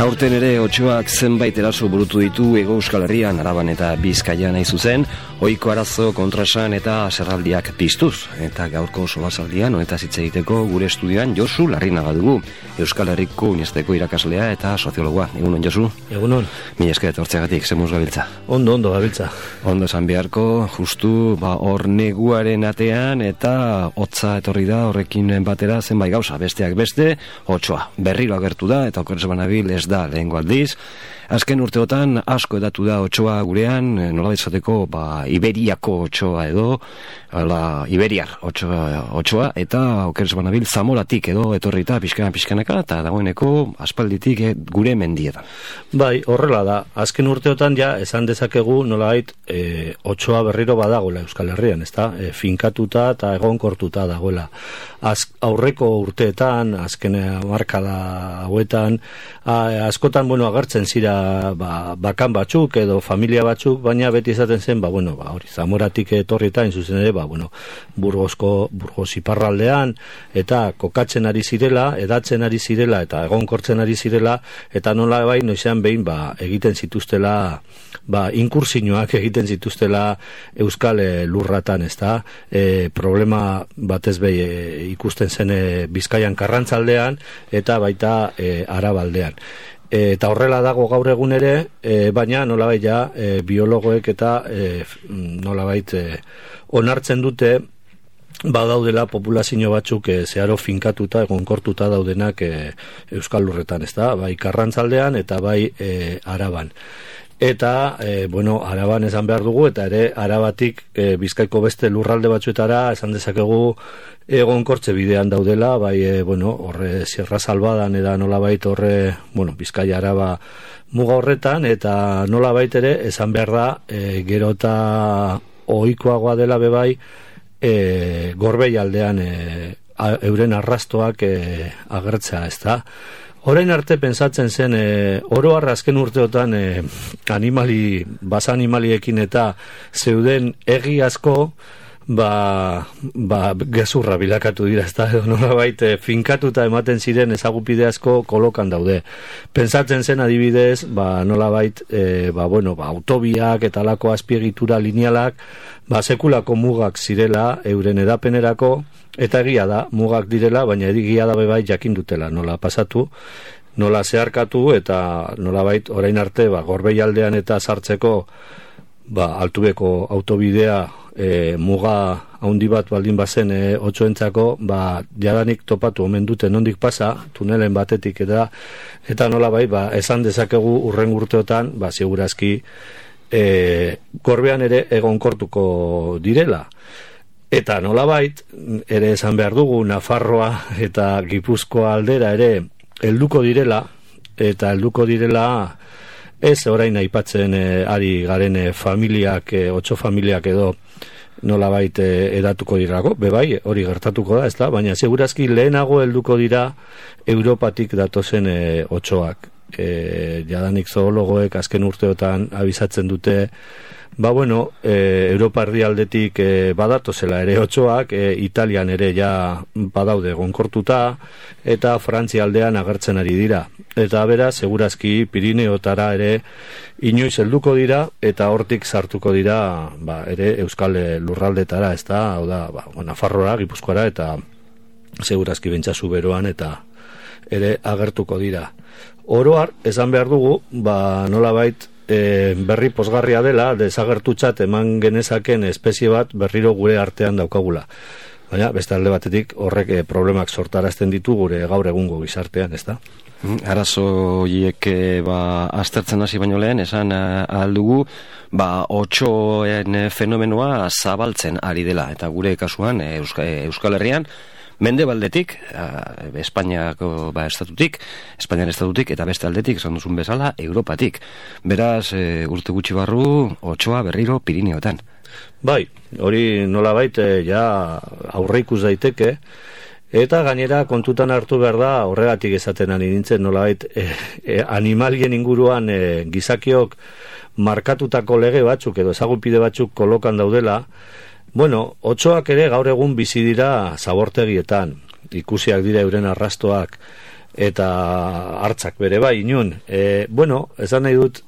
Aurten ere otsoak zenbait eraso burutu ditu Hego Euskal Herrian, Araban eta Bizkaian nahi zuzen, ohiko arazo kontraesan eta zerraldiak piztuz. Eta gaurko solasaldian honetaz hitz egiteko gure estudioan Josu Larrinaga dugu, Euskal Herriko Uniesteko irakaslea eta soziologoa. Egunon, Josu? Egunon. Mila esker etortzeagatik, zemuz gabiltza? Ondo gabiltza. Ondo esan beharko, justu hor neguaren atean eta hotza etorri da horrekin batera zenbait gauza, besteak beste, otsoa berriro agertu da eta okerrez banabil ez da lehengo aldiz. Azken urteotan asko edatu da otsoa gurean, nola bezateko Iberiako otsoa edo Iberiar otsoa eta okerrez banabil Zamoratik edo etorrita pixkanaka eta dagoeneko aspalditik gure mendietan. Bai, horrela da. Azken urteotan ja esan dezakegu nolabait otsoa berriro badagoela Euskal Herrian, ezta? Finkatuta eta egonkortuta dagoela. Aurreko urteetan, azken hamarkada hauetan, askotan agertzen zira bakan batzuk edo familia batzuk, baina beti izaten zen, hori Zamoratik etorrita zuzen ere, Burgos iparraldean eta kokatzen ari zirela, edatzen ari zirela eta egonkortzen ari zirela, eta nola noizean behin egiten zituztela inkursioak egiten zituztela Euskal lurratan, ezta? Problema batez behi ikusten zen Bizkaian Karrantzaldean eta baita Arabaldean. Eta horrela dago gaur egun ere, baina nolabait biologoek eta nolabait onartzen dute badaudela populazio batzuk zeharo finkatuta, egonkortuta daudenak Euskal lurretan, ezta? Bai Karrantzaldean eta bai Araban. Eta, Araban esan behar dugu, eta ere Arabatik Bizkaiko beste lurralde batzuetara esan dezakegu egonkortze bidean daudela, horre Sierra Salvadan eta nolabait horre, Bizkaia Araba muga horretan, eta nolabait ere esan behar da, gero eta ohikoagoa dela bebai, Gorbei aldean euren arrastoak agertzea, ezta? Orain arte pentsatzen zen, oro har azken urteotan basa animaliekin eta zeuden egi asko, gezurra bilakatu dira, ezta? Nolabait finkatuta ematen ziren ezagupide asko kolokan daude. Pentsatzen zen adibidez, nolabait, autobiak eta alako azpiegitura linealak, sekulako mugak zirela euren edapenerako, eta egia da, mugak direla, baina egia da bebai jakin dutela, nola pasatu, nola zeharkatu, eta nolabait orain arte, Gorbei aldean eta sartzeko, altubeko autobidea, muga haundi bat baldin bazen otsoentzako, jadanik topatu omen dute nondik pasa, tunelen batetik eta nolabait, esan dezakegu urren urteotan, segurazki, Gorbean ere egonkortuko direla. Eta nolabait, ere esan behar dugu, Nafarroa eta Gipuzkoa aldera ere helduko direla, eta helduko direla ez orain aipatzen ari garen familiak, otso familiak edo nolabait edatuko dirako, bebai, hori gertatuko da, ezta? Baina segurazki lehenago helduko dira Europatik datozen otsoak. Jadanik zoologoek azken urteotan abisatzen dute, Europa erdialdetik badatozela ere otsoak, Italian ere ja badaude egonkortuta, eta Frantzia aldean agertzen ari dira. Eta beraz, segurazki Pirineotara ere inoiz helduko dira, eta hortik sartuko dira ere Euskal lurraldetara, ezta? Hau da, Nafarroa, Gipuzkoara, eta segurazki bentsazu beroan, eta ere agertuko dira. Oroar, esan behar dugu, nolabait, berri pozgarria dela, desagertutzat eman genezaken espezie bat berriro gure artean daukagula. Baina, beste alde batetik, horrek problemak sortarazten ditu gure gaur egungo gizartean, ezta? Arazo hiek aztertzen hasi baino lehen, esan aldugu, otsoen fenomenoa zabaltzen ari dela, eta gure kasuan Euskal Herrian, Mendebaldetik, Espainiako Espainian estatutik, eta beste aldetik, esan duzun bezala, Europatik. Beraz, urte gutxi barru, otsoa berriro Pirineotan. Bai, hori nolabait aurreikus daiteke, eta gainera kontutan hartu behar da, horregatik esaten ari nintzen, nolabait animalien inguruan gizakiok markatutako lege batzuk edo ezagupide batzuk kolokan daudela. Otsoak ere gaur egun bizi dira zabortegietan, ikusiak dira euren arrastoak, eta hartzak bere bai inun. Bueno, esan nahi dut,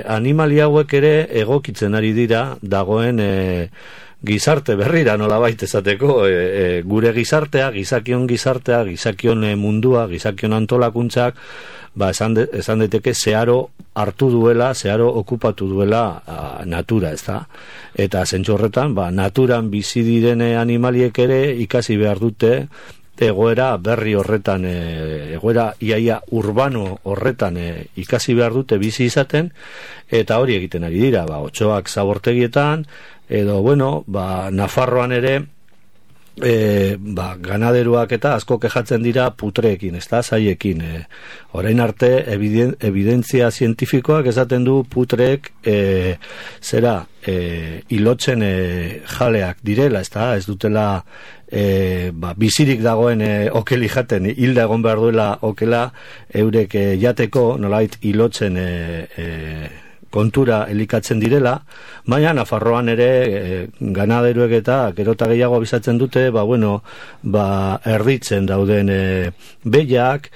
animali hauek ere egokitzen ari dira dagoen gizarte berrira nolabait esateko, gure gizartea, gizakion mundua, gizakion antolakuntzak, esan daiteke zeharo hartu duela, zeharo okupatu duela natura, ez da? Eta zentzu horretan, naturan bizi diren animaliek ere ikasi behar dute egoera berri horretan, egoera iaia urbano horretan ikasi behar dute bizi izaten, eta hori egiten ari dira, otsoak zabortegietan, edo, bueno, Nafarroan ere, ganaderuak eta asko kejatzen dira putreekin, ez da, zaiekin. Orain arte, evidentzia zientifikoak esaten du putreek ilotzen jaleak direla, ez da, ez dutela bizirik dagoen okeli jaten, hilda egon behar duela okela eurek jateko, nolait ilotzen kontura elikatzen direla, baina Nafarroan ere ganaderuek eta gerota gehiago abisatzen dute, erditzen dauden behiak,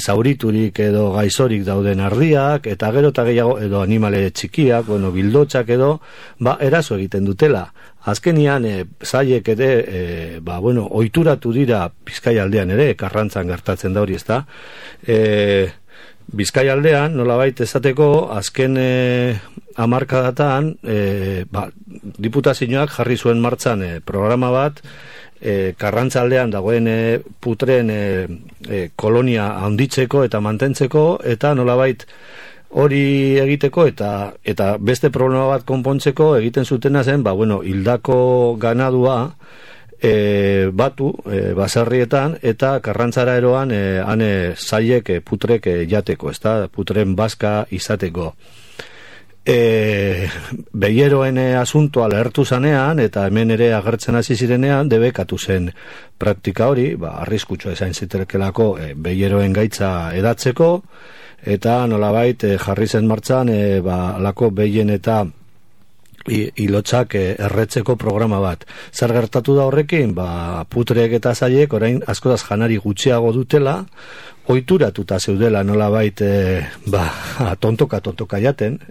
zauriturik edo gaizorik dauden ardiak, eta gerota gehiago edo animale txikiak, bildotxak edo, eraso egiten dutela. Azkenian, zaiek ere, ohituratu dira Bizkaia aldean ere, Karrantzan gertatzen da hori, ez da? Bizkaia aldean, nolabait esateko, azken hamarkadatan, diputazioak jarri zuen martxan programa bat, Karrantza aldean dagoen putreen kolonia handitzeko eta mantentzeko, eta nolabait hori egiteko eta beste problema bat konpontzeko egiten zutena zen, hildako ganadua batu baserrietan eta Karrantzara eroan zaiek putrek jateko, ez da, putren bazka izateko. Behieroen asuntoa lehertu zanean eta hemen ere agertzen hasi zirenean debekatu zen praktika hori, arriskutsua ezain zitekelako behieroen gaitza edatzeko, eta nolabait jarri zen martxan alako behien eta ilotzak erretzeko programa bat. Zer gertatu da horrekin? Putreek eta zaiek orain askoraz janari gutxiago dutela, ohituratuta zeudela nolabait tontoka jaten,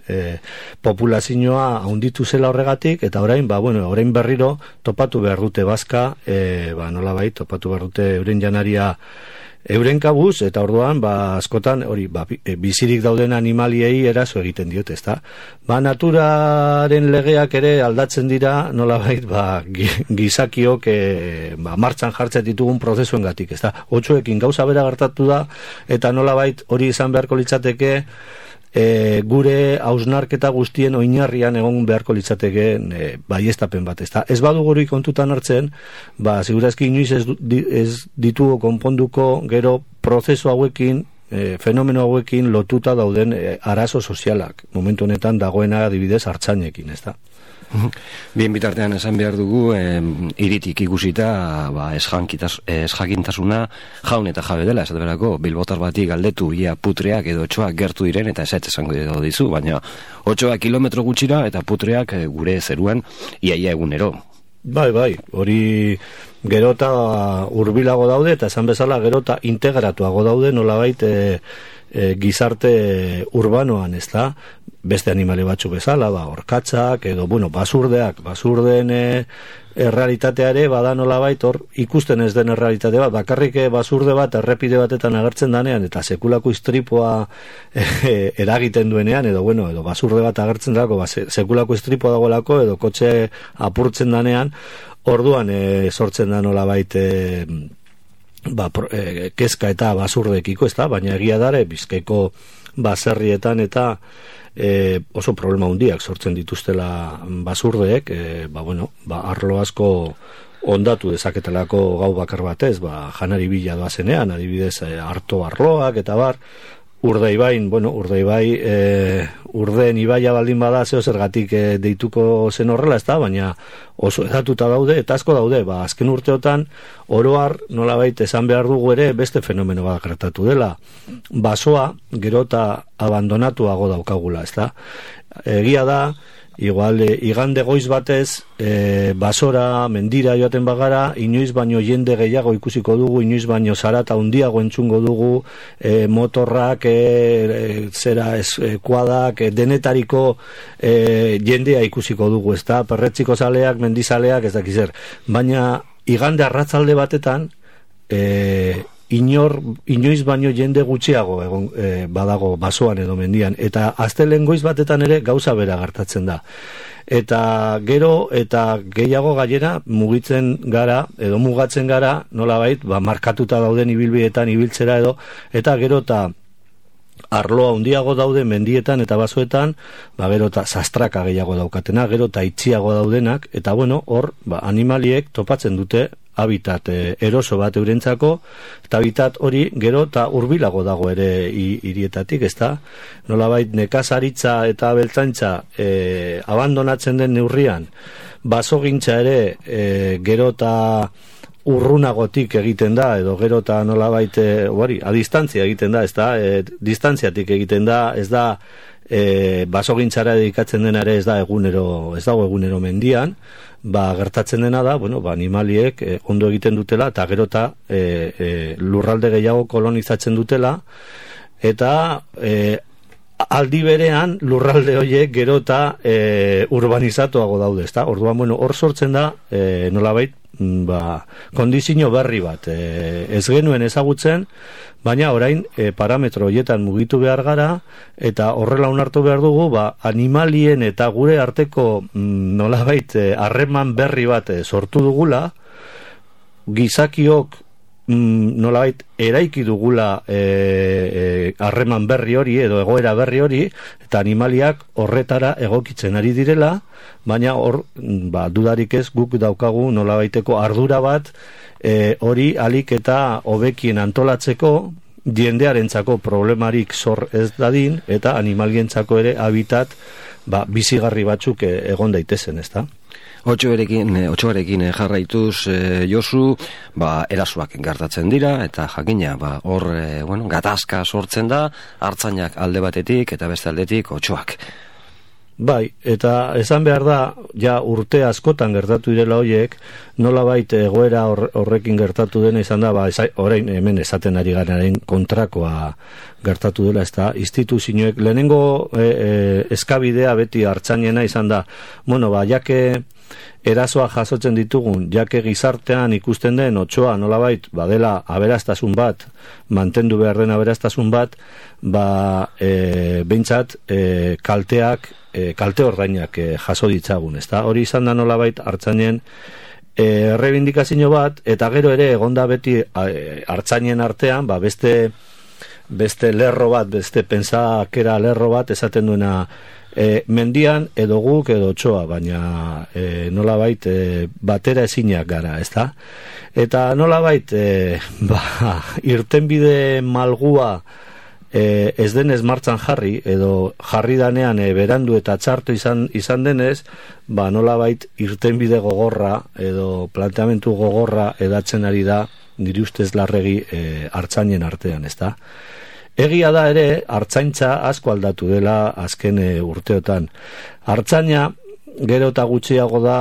populazioa handitu zela horregatik, eta orain orain berriro topatu behar dute bazka, nolabait topatu behar dute euren janaria euren kabuz, eta orduan askotan hori bizirik dauden animaliei eraso egiten diote, ezta? Naturaren legeak ere aldatzen dira nolabait gizakiok martxan jartzen ditugun prozesuengatik, ezta? Otsoekin gauza bera gertatu da, eta nolabait hori izan beharko litzateke gure hausnarketa guztien oinarrian egon beharko litzateke baiestapen bat, ezta? Ez badugu hori kontutan hartzen, segurazki inoiz ez ditugu konponduko gero prozesu hauekin, fenomeno hauekin lotuta dauden arazo sozialak. Momentu honetan dagoena adibidez hartzainekin, ezta? Bien bitartean esan behar dugu, iritik ikusita esjakintasuna jaun eta jabe dela, esate berako bilbotar bati galdetu ia putreak edo otsoak gertu diren eta eset esango dizu, baina otsoak kilometro gutxira eta putreak gure zeruan iaia egunero. Bai, hori gerota hurbilago daude eta esan bezala gerota integratuago daude nolabait gizarte urbanoan, ez da? Beste animale batzu bezala, orkatzak edo, basurdeen errealitatea ere bada nolabait hor ikusten ez den errealitate bat, bakarrik basurde bat errepide batetan agertzen danean eta sekulako istripua eragiten duenean edo basurde bat agertzen dago, sekulako istripua dagoelako edo kotxe apurtzen danean, orduan sortzen da nolabait kezka eta basurdekiko, ez da, baina egia dare Bizkaiko baserrietan eta oso problema handiak sortzen dituztela basurdeek, arlo asko ondatu dezaketelako gau bakar batez, janari bila doazenean, adibidez harto arloak eta Urdaibain, Urdeen ibaia baldin bada zeo zergatik deituko zen horrela, ez da, baina oso edatuta daude, eta asko daude, azken urteotan oroar nolabait esan behar dugu ere beste fenomeno bat gertatu dela. Basoa gero eta abandonatuago daukagula, ez da. Egia da, igual igande goiz batez basora, mendira joaten bagara, inoiz baino jende gehiago ikusiko dugu, inoiz baino zarata handiago entzungo dugu, motorrak, kuadak, denetariko jendea ikusiko dugu, ez da, perretziko zaleak, mendizaleak, ez dakizer. Baina igande arratzalde batetan, inoiz baino jende gutxiago badago basoan edo mendian, eta astelen goiz batetan ere gauza bera gertatzen da, eta gero eta gehiago gainera mugatzen gara nolabait markatuta dauden ibilbideetan ibiltzera edo, eta gero eta arloa handiago daude mendietan eta basoetan, gero eta sastraka gehiago daukatena, gero eta itxiago daudenak, eta bueno, hor animaliek topatzen dute habitat eroso bat eurentzako, eta habitat hori gero eta hurbilago dago ere hirietatik, ezta? Nolabait nekazaritza eta abeltzaintza abandonatzen den neurrian, basogintza ere gero eta urrunagotik egiten da, edo gero eta nolabait a distantzia egiten da, ezta? Distantziatik egiten da, ez da basogintzara dedikatzen denare ez dago egunero mendian, gertatzen dena da, animaliek ondo egiten dutela, eta gero eta lurralde gehiago kolonizatzen dutela, eta aldi berean lurralde horiek gero eta urbanizatuago daude, ezta? Orduan, hor sortzen da nolabait kondizio berri bat, ez genuen ezagutzen, baina orain parametro horietan mugitu behar gara, eta horrela onartu behar dugu, animalien eta gure arteko nolabait harreman berri bat sortu dugula, gizakiok nolabait eraiki dugula harreman berri hori edo egoera berri hori, eta animaliak horretara egokitzen ari direla, baina hor dudarik ez guk daukagu nolabaiteko ardura bat hori alik eta hobekien antolatzeko, jendearentzako problemarik zor ez dadin, eta animalientzako ere habitat bizigarri batzuk egon daitezen, ezta? Otxoarekin jarraituz, Josu, erasoak gertatzen dira, eta jakina, hor, gatazka sortzen da, artzainak alde batetik, eta beste aldetik otxoak. Bai, eta esan behar da, ja urte askotan gertatu direla horiek, nolabait egoera horrekin gertatu dena izan da, orain hemen esaten ari gararen kontrakoa gertatu dela, ez da, instituzioek, lehenengo eskabidea beti artzainena izan da, jake erasoa jasotzen ditugun, jake gizartean ikusten den otsoa nolabait badela aberastasun bat, mantendu behar den aberastasun bat, behintzat kalte ordainak jaso ditzagun, ezta? Hori izan da nolabait artzainen errebindikazio bat, eta gero ere egonda beti artzainen artean, beste lerro bat, beste pentsakera lerro bat esaten duena, mendian edo guk edo otsoa, baina nolabait batera ezinak gara, ezta? Eta nolabait irtenbide malgua ez denez martxan jarri, edo jarri danean berandu eta txarto izan denez, nolabait irtenbide gogorra edo planteamentu gogorra edatzen ari da, nire ustez larregi artzainen artean, ezta? Egia da ere, artzaintza asko aldatu dela azken urteotan. Artzaina gero eta gutxiago da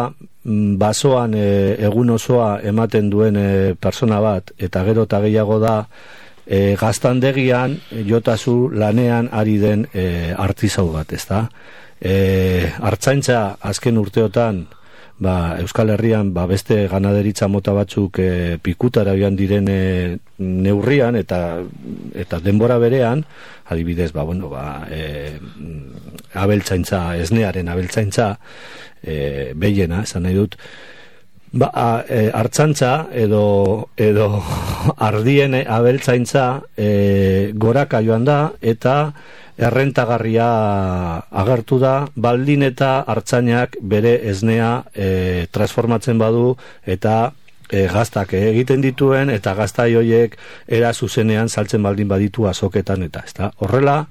basoan egun osoa ematen duen persona bat, eta gero eta gehiago da gaztandegian jotazu lanean ari den artizau bat, ezta? Artzaintza azken urteotan Euskal Herrian beste ganaderitza mota batzuk pikutara joan diren neurrian eta denbora berean, adibidez abeltzaintza, esnearen abeltzaintza behiena, esan nahi dut, artzantza edo ardien abeltzaintza goraka joan da, eta errentagarria agertu da, baldin eta artzainak bere esnea transformatzen badu, eta gaztak egiten dituen, eta gaztai horiek era zuzenean saltzen baldin baditu azoketan, eta ez da, horrela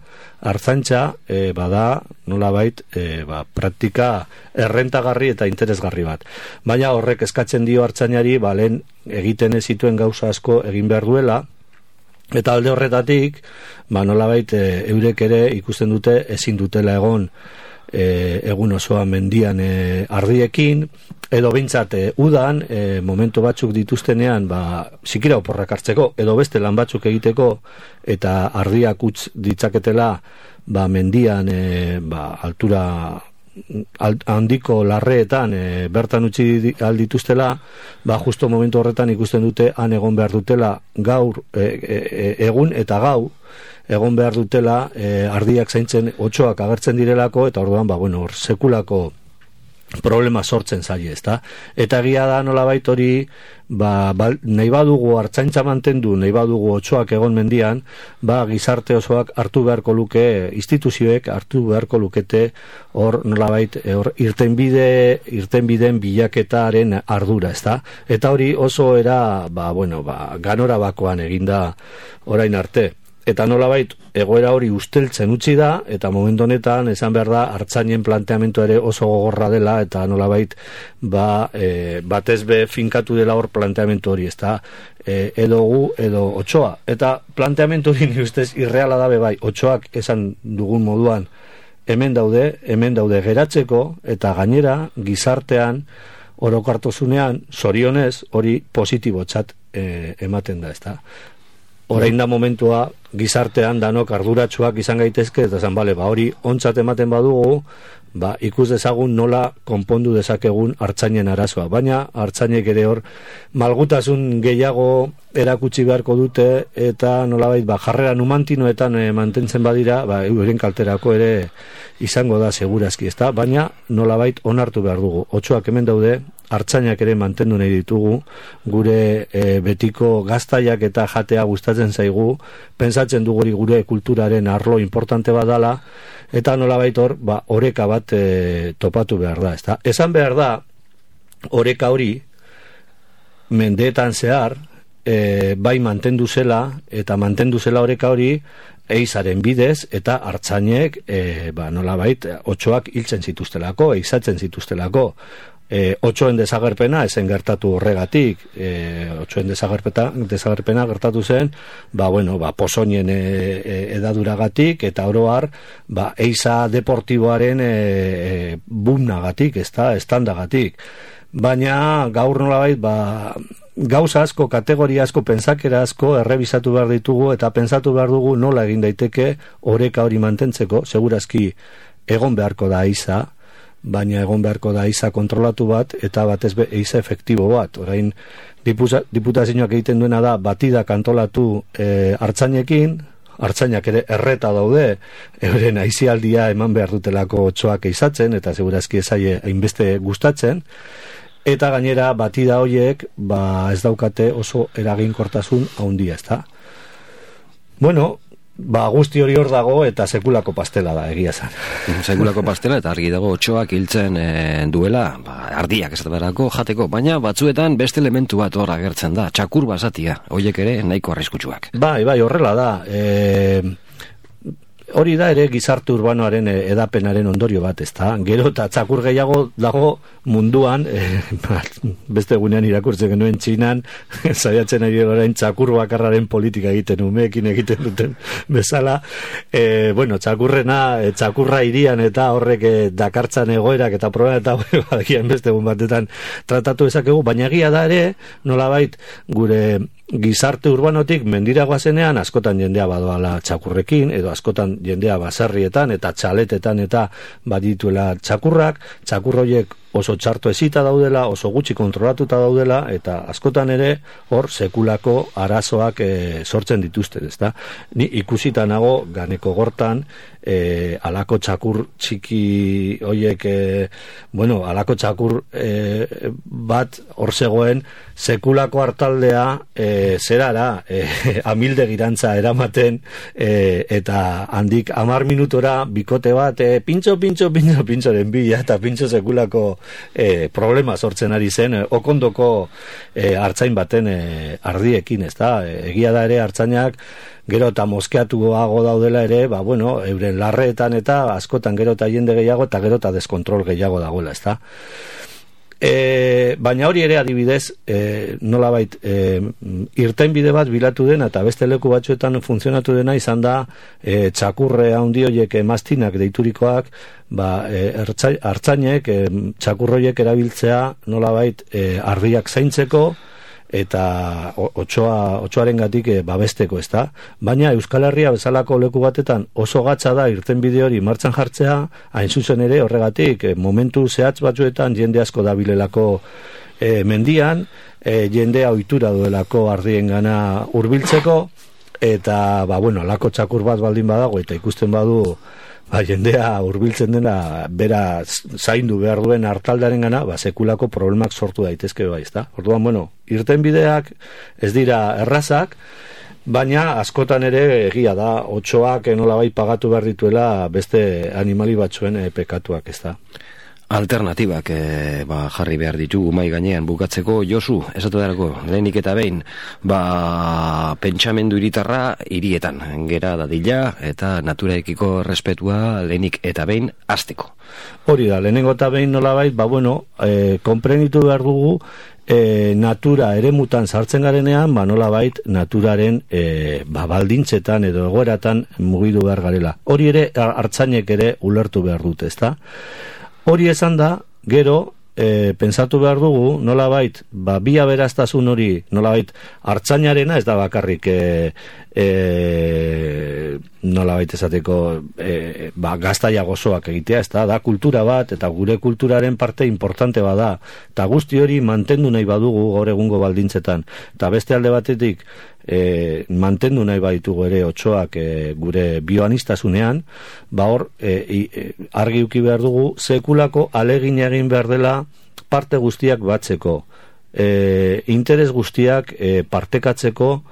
artzaintza bada nolabait praktika errentagarri eta interesgarri bat, baina horrek eskatzen dio artzainari lehen egiten ez zituen gauza asko egin behar duela, eta alde horretatik nolabait eurek ere ikusten dute ezin dutela egon egun osoa mendian ardiekin, edo behintzat udan, momentu batzuk dituztenean, zikira oporrak hartzeko, edo beste lan batzuk egiteko, eta ardiak utz ditzaketela, mendian, altura handiko larreetan bertan utzi aldituztela, justo momentu horretan ikusten dute han egon behar dutela gaur, egun eta gau, egon behar dutela ardiak zaintzen otsoak agertzen direlako, eta orduan, hor sekulako problema sortzen zaie, ezta? Eta egia da nolabait hori, nahi badugu artzaintza mantendu, nahi badugu otsoak egon mendian, gizarte osoak hartu beharko luke, instituzioek hartu beharko lukete hor nolabait irtenbideen bilaketaren ardura, ezta? Eta hori oso era, ganora bakoan eginda orain arte. Eta nolabait egoera hori usteltzen utzi da, eta momentu honetan esan behar da artzainen planteamentu ere oso gogorra dela, eta nolabait batez be finkatu dela hor planteamentu hori, ezta? Edo gu, edo otsoa. Eta planteamentu hori nire ustez irreala dabe otsoak esan dugun moduan hemen daude geratzeko, eta gainera gizartean orokartozunean zorionez hori positibotzat ematen da, ezta? Orain da momentua gizartean danok arduratsuak izan gaitezke, eta zan, hori ontzat ematen badugu, ikus dezagun nola konpondu dezakegun artzainen arazoa. Baina artzainek ere hor malgutasun gehiago erakutsi beharko dute, eta nolabait jarrera numantinoetan mantentzen badira, euren kalterako ere izango da segurazki, ezta? Baina nolabait onartu behar dugu. Otsoak hemen daude, artzainak ere mantendu nahi ditugu, gure betiko gaztaiak eta jatea gustatzen zaigu, pentsatzen dugu gure kulturaren arlo importante badala, eta nolabait hor, oreka bat topatu behar da, ezta? Esan behar da, oreka hori, mendeetan zehar, bai mantendu zela, eta mantendu zela oreka hori, eizaren bidez, eta artzainek, nolabait, otsoak hiltzen zituztelako, eizatzen zituztelako, otsoen desagerpena ezen gertatu horregatik, otsoen desagerpena gertatu zen, pozoinen edaduragatik, eta oroar, eiza deportiboaren bumnagatik, estandagatik. Baina gaur nolabait, gauza asko, kategoria asko, pentsakera asko errebisatu behar ditugu, eta pentsatu behar dugu nola egin daiteke oreka hori mantentzeko, segurazki egon beharko da eiza, baina egon beharko da eiza kontrolatu bat, eta batez eiza efektibo bat. Orain, diputazioak egiten duena da, batida kantolatu artzainekin, artzainak ere erreta daude, euren aizialdia eman behar dutelako otsoak eizatzen, eta segurazki ezaie hainbeste gustatzen, eta gainera batida horiek ez daukate oso eraginkortasun handia, ezta? Guzti hori hor dago, eta sekulako pastela da, egia zan. Sekulako pastela, eta argi dago otsoak hiltzen duela, ardiak ez berako jateko, baina batzuetan beste elementu bat hor agertzen da, txakur basatia, horiek ere nahiko arriskutsuak. Bai, horrela da. Hori da ere gizarte urbanoaren edapenaren ondorio bat, ezta? Gero eta txakur gehiago dago munduan, beste egunean irakurtzen genuen Txinan, saiatzen ari orain txakur bakarraren politika egiten, umeekin egiten duten bezala, txakurra irian eta horrek dakartzan egoerak eta problema eta badakian beste egun batetan tratatu ezakegu, baina egia da ere, nolabait gure gizarte urbanotik mendira goazenean askotan jendea badoala txakurrekin, edo askotan jendea baserrietan eta txaletetan eta badituela txakurrak, txakurroiek oso txarto ezita daudela, oso gutxi kontrolatuta daudela, eta askotan ere hor sekulako arazoak sortzen dituzte, ezta? Ni ikusita nago Ganeko Gortan, alako txakur txiki hoiek, alako txakur bat hor zegoen sekulako hartaldea zerara amildegirantza eramaten, eta handik 10 minutora bikote bat pintxoren bila, eta pintxo sekulako problema sortzen ari zen okondoko artzain baten ardiekin, ezta? Egia da ere artzainak gero eta moskeatuago daudela ere, euren larreetan eta askotan gero eta jende gehiago eta gero eta deskontrol gehiago dagoela, ezta? Baina hori ere adibidez, nolabait irtenbide bat bilatu dena eta beste leku batzuetan funtzionatu dena izan da txakurre handi horiek mastinak deiturikoak, artzainek txakurroiek erabiltzea nolabait ardiak zaintzeko eta otsoarengatik babesteko, ezta? Baina Euskal Herria bezalako leku batetan oso gatza da irtenbide hori martxan jartzea, hain zuzen ere horregatik momentu zehatz batzuetan jende asko dabilelako mendian, jendea ohitura duelako ardiengana hurbiltzeko, eta alako txakur bat baldin badago eta ikusten badu jendea hurbiltzen dena bera zaindu behar duen hartaldearen gana, sekulako problemak sortu daitezke bai, ezta? Orduan, irtenbideak ez dira errazak, baina askotan ere egia da, otsoak nolabait pagatu behar dituela beste animali batzuen pekatuak, ezta? Alternatibak jarri behar ditugu mai gainean bukatzeko. Josu, esatu darako, lehenik eta behin, pentsamendu hiritarra hirietan gera dadila eta naturaekiko respetua lehenik eta behin hasteko. Hori da, lehenengo eta behin nolabait, konprenitu behar dugu natura eremutan sartzen garenean, nolabait naturaren baldintzetan edo egoeratan mugidu behar garela. Hori ere artzainek ere ulertu behar dute, ezta? Hori esan da, gero, pensatu behar dugu, nolabait, bi aberastasun hori, nolabait, artzainarena ez da bakarrik, nolabait esateko, gaztaia gozoak egitea, ez da kultura bat, eta gure kulturaren parte importante bada, eta guzti hori mantendu nahi badugu gaur egungo baldintzetan, eta beste alde batetik, mantendu nahi baditugu ere otsoak gure bioanistasunean, hor argi uki behar dugu sekulako alegin egin behar dela parte guztiak batzeko, interes guztiak partekatzeko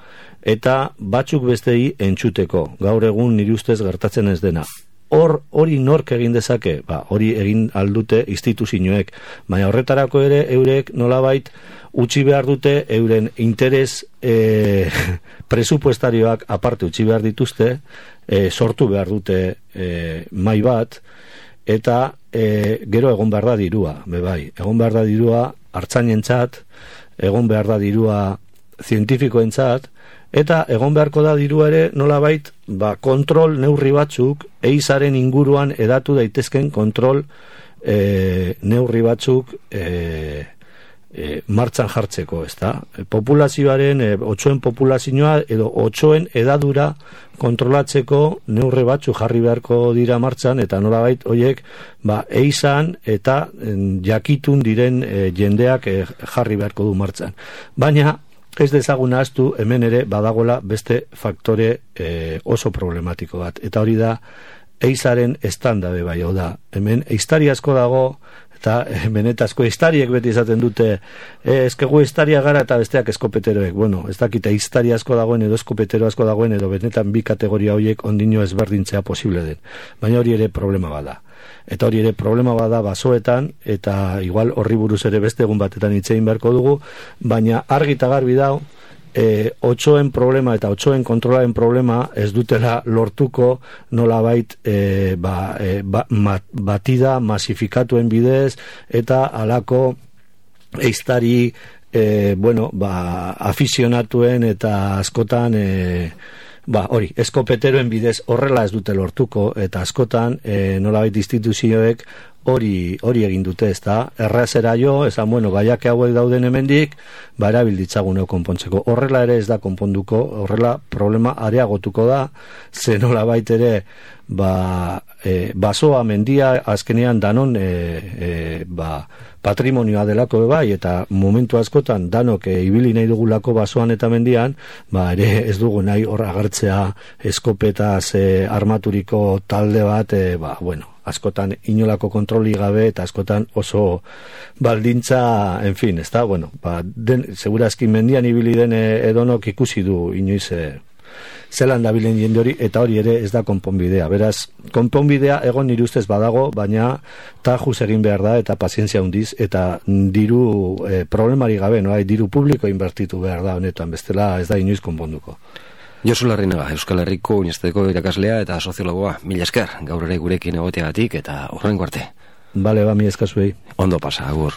eta batzuk bestei entzuteko, gaur egun nire ustez gertatzen ez dena. Hori nork egin dezake? Hori egin aldute instituzioek, baina horretarako ere eurek nolabait utzi behar dute euren interes presupuestarioak aparte utzi behar dituzte, sortu behar dute mai bat, eta gero egon behar da dirua, egon behar da dirua artzainentzat, egon behar da dirua zientifikoentzat, eta egon beharko da dirua ere nolabait kontrol neurri batzuk eizaren inguruan edatu daitezken kontrol neurri batzuk martxan jartzeko, ezta? Populazioaren, otsoen populazioa edo otsoen edadura kontrolatzeko neurri batzuk jarri beharko dira martxan, eta nolabait horiek eizan eta jakitun diren jendeak jarri beharko du martxan. Baina ez dezagun ahaztu hemen ere badagola beste faktore oso problematiko bat, eta hori da eizaren estandabe bai, hau da, hemen eiztari asko dago, eta benetazko eiztariek beti izaten dute, ezkegu eiztaria gara eta besteak eskopeteroek, ez dakite eiztari asko dagoen edo eskopetero asko dagoen edo benetan bi kategoria horiek ondino ezberdintzea posible den, baina hori ere problema bada. Eta hori ere problema bada basoetan, eta igual horri buruz ere beste egun batetan hitz egin beharko dugu, baina argi eta garbi dago, otsoen problema eta otsoen kontrolaren problema ez dutela lortuko nolabait batida masifikatuen bidez eta alako eiztari afizionatuen eta askotan hori, eskopeteroen bidez horrela ez dute lortuko, eta askotan nolabait instituzioek hori egin dute, ezta? Errazera jo, esan, gaiak hauek dauden hemendik, erabilditzaguneo konpontzeko. Horrela ere ez da konponduko, horrela problema areagotuko da, ze nolabait ere basoa mendia azkenean danon patrimonioa delako bai, eta momentu askotan danok ibili nahi dugulako basoan eta mendian, ere ez dugu nahi hor agertzea eskopetaz armaturiko talde bat, askotan inolako kontroli gabe eta askotan oso baldintza, en fin, ez da, segurazki mendian ibili den edonok ikusi du inoiz zelan dabilen jende hori, eta hori ere ez da konponbidea. Beraz, konponbidea egon nire ustez badago, baina tajuz egin behar da eta pazientzia handiz, eta diru problemari gabe, diru publiko inbertitu behar da honetan, bestela ez da inoiz konponduko. Josu Larrinaga, Euskal Herriko Unibertsitateko irakaslea eta soziologoa, mila esker, gaur ere gurekin egoteagatik eta horrengo arte. Bale, mila esker zuei. Ondo pasa, agur.